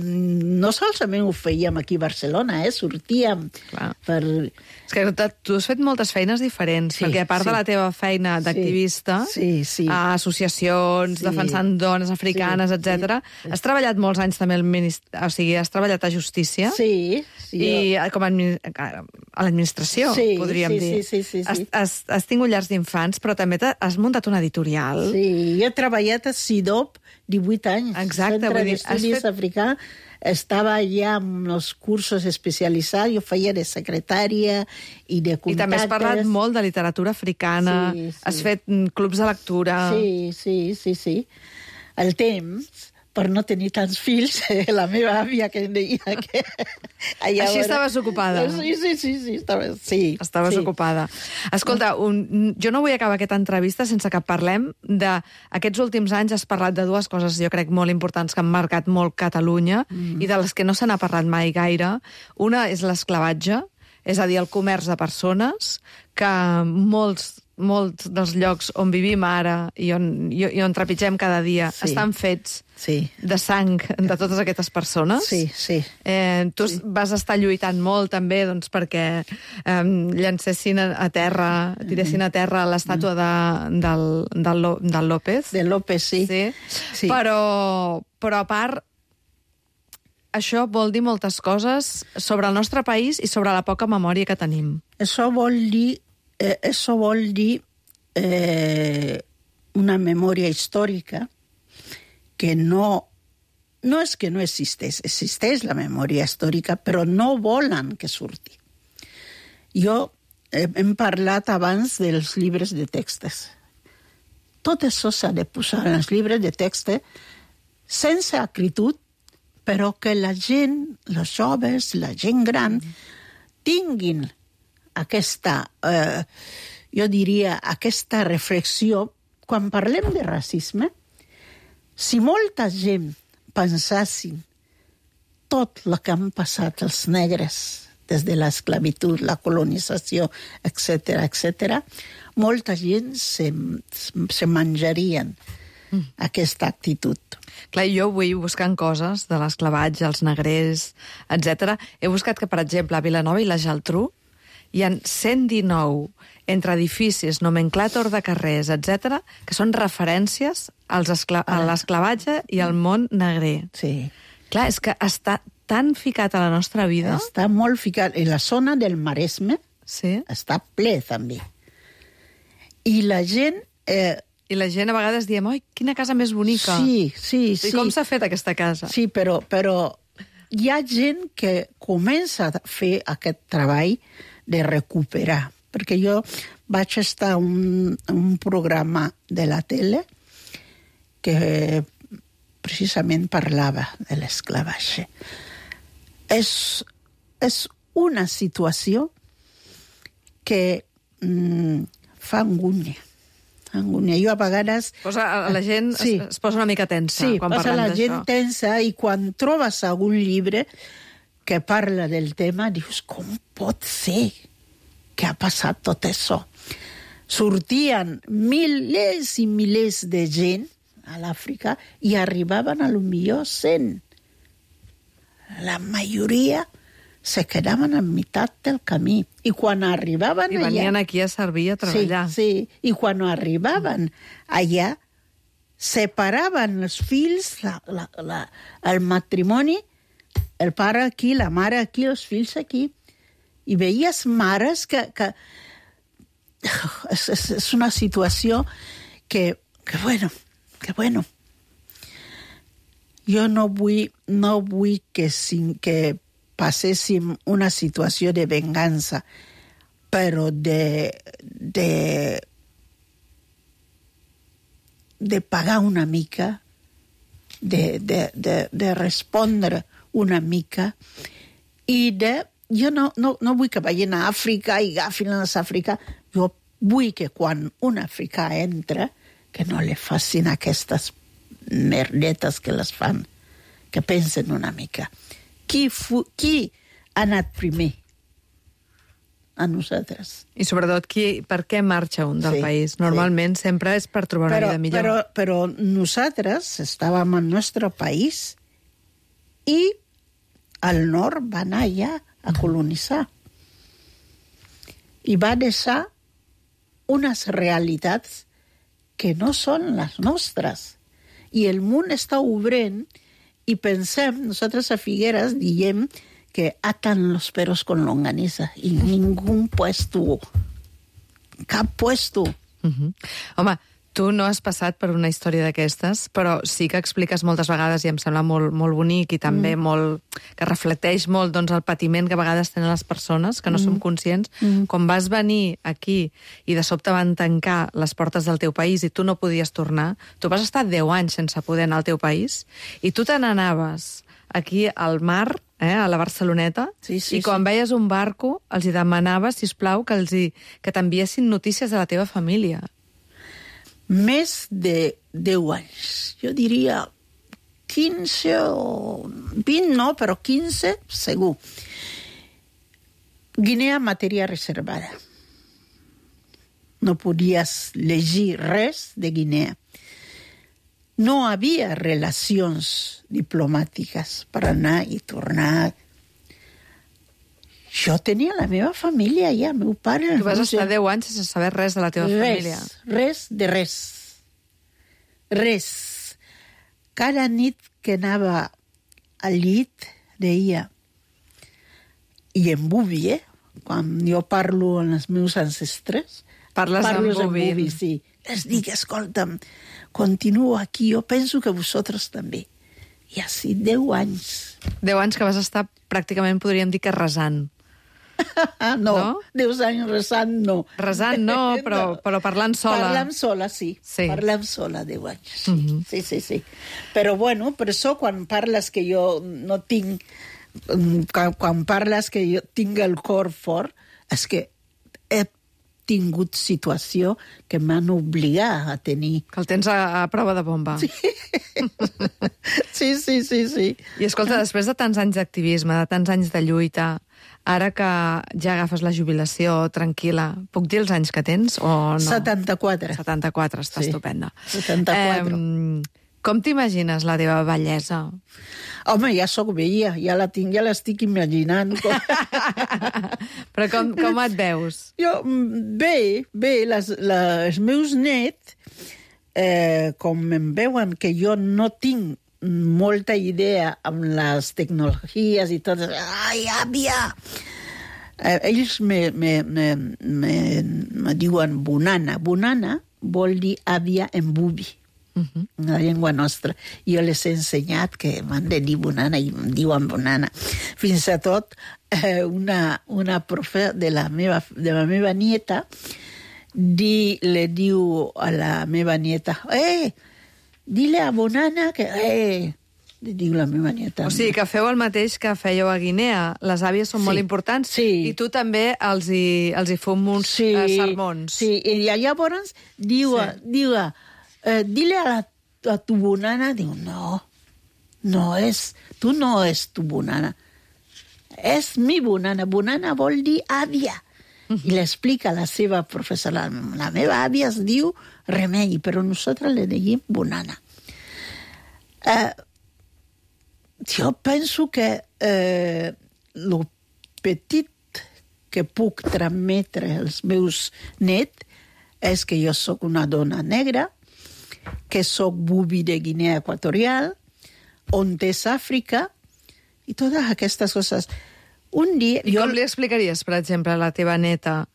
No solament ho fèiem aquí a Barcelona, eh? Sortíem Clar. per... És que tu has fet moltes feines diferents, sí, perquè a part sí. de la teva feina d'activista, sí, sí, sí. a associacions, sí. defensant dones africanes, sí, etcètera, sí. has treballat molts anys també al ministeri... O sigui, has treballat a Justícia. Sí. sí I jo... com a, a l'administració, sí, podríem sí, dir. Sí, sí, sí, sí. Has, has, has tingut llars d'infants, però també has muntat una editorial. Sí, jo he treballat a SIDOP divuit anys. Exacte. Centre Dir, d'Estudis fet... Africà. Estava allà amb els cursos especialitzats, jo feia de secretària i de contactes. I també has parlat molt de literatura africana, sí, sí. has fet clubs de lectura... Sí, sí, sí, sí. El temps, per no tenir tants fills, la meva àvia que em deia que... Allà Així estaves ocupada. Sí, sí, sí, sí, estava... sí Estaves sí. ocupada. Escolta, un, jo no vull acabar aquesta entrevista sense que parlem d'aquests últims anys. Has parlat de dues coses, jo crec, molt importants que han marcat molt Catalunya mm. i de les que no se n'ha parlat mai gaire. Una és l'esclavatge, és a dir, el comerç de persones, que molts molts dels llocs on vivim ara i on, i, i on trepitgem cada dia Sí. estan fets Sí. de sang de totes aquestes persones. Sí, sí. Eh, tu sí. vas estar lluitant molt també doncs, perquè eh, llancessin a, a terra, tiressin a terra l'estàtua de, del, del, Lo- del López. De López, sí. Sí. Sí. Però, però a part, això vol dir moltes coses sobre el nostre país i sobre la poca memòria que tenim. Eso vol dir, eh, eso vol dir eh, una memòria històrica que no, no és que no existeix, existeix la memòria històrica, però no volen que surti. Jo eh, hem parlat abans dels llibres de textos. Tot això s'ha de posar en els llibres de text sense acritud, però que la gent, els joves, la gent gran, tinguin aquesta, eh, jo diria, aquesta reflexió. Quan parlem de racisme, si molta gent pensassin tot el que han passat els negres des de l'esclavitud, la colonització, etcètera, etcètera, molta gent se, se menjarien mm. aquesta actitud. Clar, jo vull buscant coses de l'esclavatge, els negrers, etcètera. He buscat que, per exemple, a Vilanova i la Geltrú hi ha cent dinou entre edificis, nomenclàtor de carrers, etcètera, que són referències als escla a l'esclavatge i al món negrer. Sí. Clar, és que està tan ficat a la nostra vida. Està molt ficat. En la zona del Maresme Sí. està ple, també. I la gent... Eh, I la gent a vegades diem, oi, quina casa més bonica. Sí, sí, sí. I com s'ha fet aquesta casa? Sí, però, però hi ha gent que comença a fer aquest treball de recuperar. Perquè jo vaig estar en un, un programa de la tele que precisament parlava de l'esclavatge. És, és una situació que mm, fa angúnia. angúnia. Jo a vegades... Posa, la gent sí. es, es posa una mica tensa sí, quan parlem d'això. Sí, posa la gent tensa i quan trobes algun llibre que parla del tema, dius, com pot ser que ha passat tot això? Sortien milers i milers de gent a l'Àfrica i arribaven a lo millor cent. La majoria se quedaven a meitat del camí. I quan arribaven I venien allà... aquí a servir, a treballar. Sí, sí. I quan arribaven allà, separaven els fills, la, la, la, el matrimoni, el pare aquí, la mare aquí, els fills aquí. I veies mares que... que és, és, és una situació que, que bueno, que bueno. Jo no vull, no vull que, sin, que passéssim una situació de vengança, però de, de, de pagar una mica, de, de, de, de respondre una mica, i de... Jo no, no, no vull que vagin a Àfrica i agafin les Àfrica. Jo vull que quan un africà entra, que no li facin aquestes merdetes que les fan, que pensen una mica. Qui, fu, qui ha anat primer? A nosaltres. I sobretot, qui, per què marxa un del Sí, país? Normalment sí. sempre és per trobar una Però, vida millor. però, però nosaltres estàvem al nostre país i al nord va anar allà a colonitzar. I va deixar unes realitats que no són les nostres. I el món està obrint i pensem, nosaltres a Figueres diem que atan los perros con longaniza i ningú puesto, cap puesto. Uh-huh. Home, tu no has passat per una història d'aquestes, però sí que expliques moltes vegades i em sembla molt, molt bonic i també mm. molt, que reflecteix molt doncs, el patiment que a vegades tenen les persones, que no mm. som conscients. Mm. Quan vas venir aquí i de sobte van tancar les portes del teu país i tu no podies tornar, tu vas estar deu anys sense poder anar al teu país i tu te n'anaves aquí al mar, eh, a la Barceloneta, sí, sí, i quan sí. veies un barco els hi demanaves, sisplau, que, els hi, que t'enviessin notícies de la teva família. Més de deu anys. Jo diria quinze o vint, no, però quinze, segur. Guinea, matèria reservada. no podies llegir res de Guinea. No havia relacions diplomàtiques per anar i tornar. Jo tenia la meva família allà, meu pare... Tu vas no estar sé, deu anys sense saber res de la teva res, família. Res de res. Res. Cada nit que anava al llit, deia, i en bubi, eh? Quan jo parlo amb els meus ancestres, Parles parlo en bubi. en bubi, sí. Les dic, escolta'm, continuo aquí, jo penso que vosaltres també. I així, deu anys. Deu anys que vas estar pràcticament, podríem dir que resant. Ah, no, No? deu anys resant, no. Resant no, però, però parlant sola. Parlant sola, sí. Sí. Parlant sola, deu anys. Sí. Mhm. sí, sí, sí. Però, bueno, per això, quan parles que jo no tinc... Quan, quan parles que jo tinc el cor fort, és que he tingut situació que m'han obligat a tenir. Que el tens a, a prova de bomba. Sí. Sí, sí, sí, sí. I escolta, després de tants anys d'activisme, de tants anys de lluita, ara que ja agafes la jubilació tranquil·la, puc dir els anys que tens o no? setanta-quatre. setanta-quatre, està Sí. estupenda. setanta-quatre. Eh, com t'imagines la teva bellesa? Home, ja sóc vella, ja la tinc, ja l'estic imaginant. Però com, com et veus? Jo, bé, bé, les, les, els meus nets, eh, com em veuen que jo no tinc molta idea amb les tecnologies i tot, ai, àvia! Eh, ells me, me, me, me, me diuen bonana. Bonana vol dir àvia en bubi. Uh-huh. La llengua nostra. Jo les he ensenyat que m'han de dir bonana i em diuen bonana. Fins a tot eh, una, una profe de la meva, de la meva nieta di, le diu a la meva nieta, eh, dile a bonana que... Eh, li diu la meva nieta. O sigui, que feu el mateix que fèieu a Guinea. Les àvies són Sí. molt importants Sí. i tu també els hi, els hi fum uns sí, eh, sermons. Sí, i llavors diu, Sí. diu eh, dile a, la, a tu bonana, diu, no, no és, tu no és tu bonana, és mi bonana, bonana vol dir àvia. Uh-huh. I l'explica la seva professora, la meva àvia es diu Remei, però nosaltres le diem bonana. Eh, jo penso que eh, lo petit que puc transmetre als meus nets és que jo sóc una dona negra, que sóc bubi de Guinea Equatorial, on és Àfrica, i totes aquestes coses. Un dia... I com li explicaries, per exemple, a la teva neta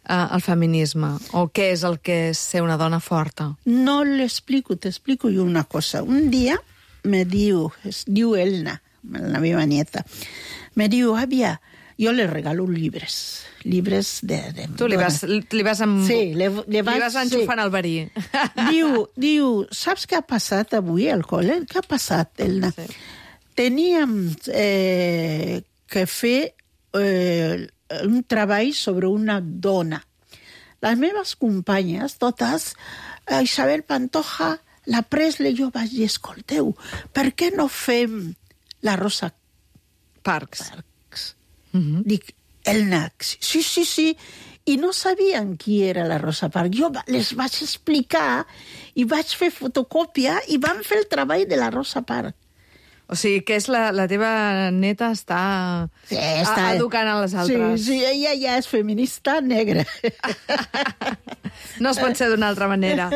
eh, el feminisme? O què és el que és ser una dona forta? No l'explico, t'explico jo una cosa. Un dia me diu, es diu Elna, la meva nieta, me diu, àvia, jo le regalo llibres, llibres de... de Tu li vas, li vas, amb... Sí, le, le, vas, li vas enxufant sí. el verí. Diu, diu, saps què ha passat avui al col·le? Què ha passat, Elna? Sí. Teníem eh, que fer eh, un treball sobre una dona. Les meves companyes, totes, eh, Isabel Pantoja, la Presley, jo vaig dir, escolteu, per què no fem la Rosa Parks. Parks? Uh-huh. Dic, Elna, sí, sí, sí, i no sabien qui era la Rosa Parks. Jo les vaig explicar i vaig fer fotocòpia i vam fer el treball de la Rosa Parks. O sigui, que és la, la teva neta està, Sí, està educant a les altres. Sí, sí, ella ja és feminista negra. No es pot ser d'una altra manera.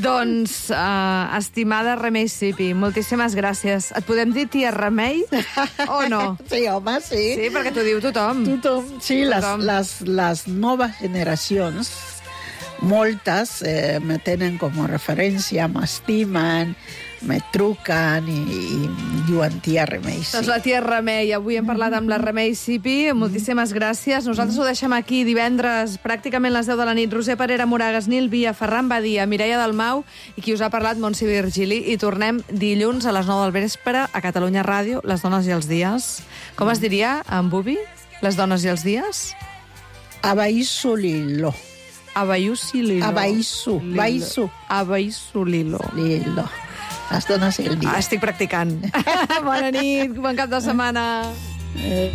Doncs, uh, estimada Remei Sipi, moltíssimes gràcies. Et podem dir tia Remei o no? Sí, home, sí. Sí, perquè t'ho diu tothom. Tothom, sí, Tothom. Les, les, les noves generacions, moltes eh, me tenen com a referència, m'estimen, me truquen i, i diuen tia Remei. Sí. Doncs la tia Remei. Avui hem parlat amb la Remei Sipi. Moltíssimes gràcies. Nosaltres ho deixem aquí divendres, pràcticament les deu de la nit. Roser Parera, Moragas, Nil Via, Ferran Badia, Mireia Dalmau i qui us ha parlat, Montse Virgili. I tornem dilluns a les nou del vespre a Catalunya Ràdio, Les dones i els dies. Com es diria en bubi? Les dones i els dies? Abaisu Lilo. Abaisu Lilo. Abaisu. Abaisu. Abaisu Lilo. Lilo. Les dones i el dia. Ah, estic practicant. Bona nit, bon cap de setmana. Eh...